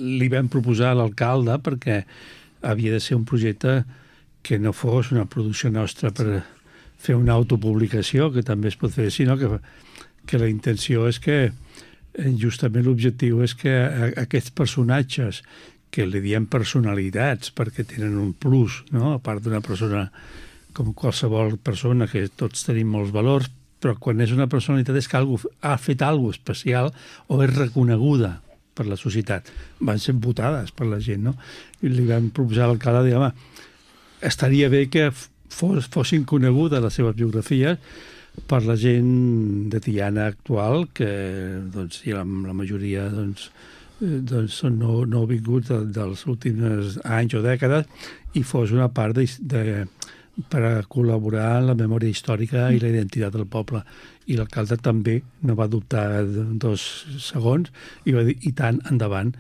li vam proposar a l'alcalde perquè havia de ser un projecte que no fos una producció nostra per fer una autopublicació, que també es pot fer, sinó que la intenció és que justament l'objectiu és que aquests personatges que li diem personalitats perquè tenen un plus, no? A part d'una persona com qualsevol persona, que tots tenim molts valors, però quan és una personalitat és que ha fet alguna cosa especial o és reconeguda per la societat. Van ser votades per la gent, no? I li vam proposar a l'alcalde, dir, home, estaria bé que fossin conegudes les seves biografies per la gent de Tiana actual, que doncs, la majoria doncs, són nouvinguts dels últims anys o dècades, i fos una part per a col·laborar en la memòria històrica i la identitat del poble. I l'alcalde també no va dubtar 2 segons i va dir, i tant, endavant.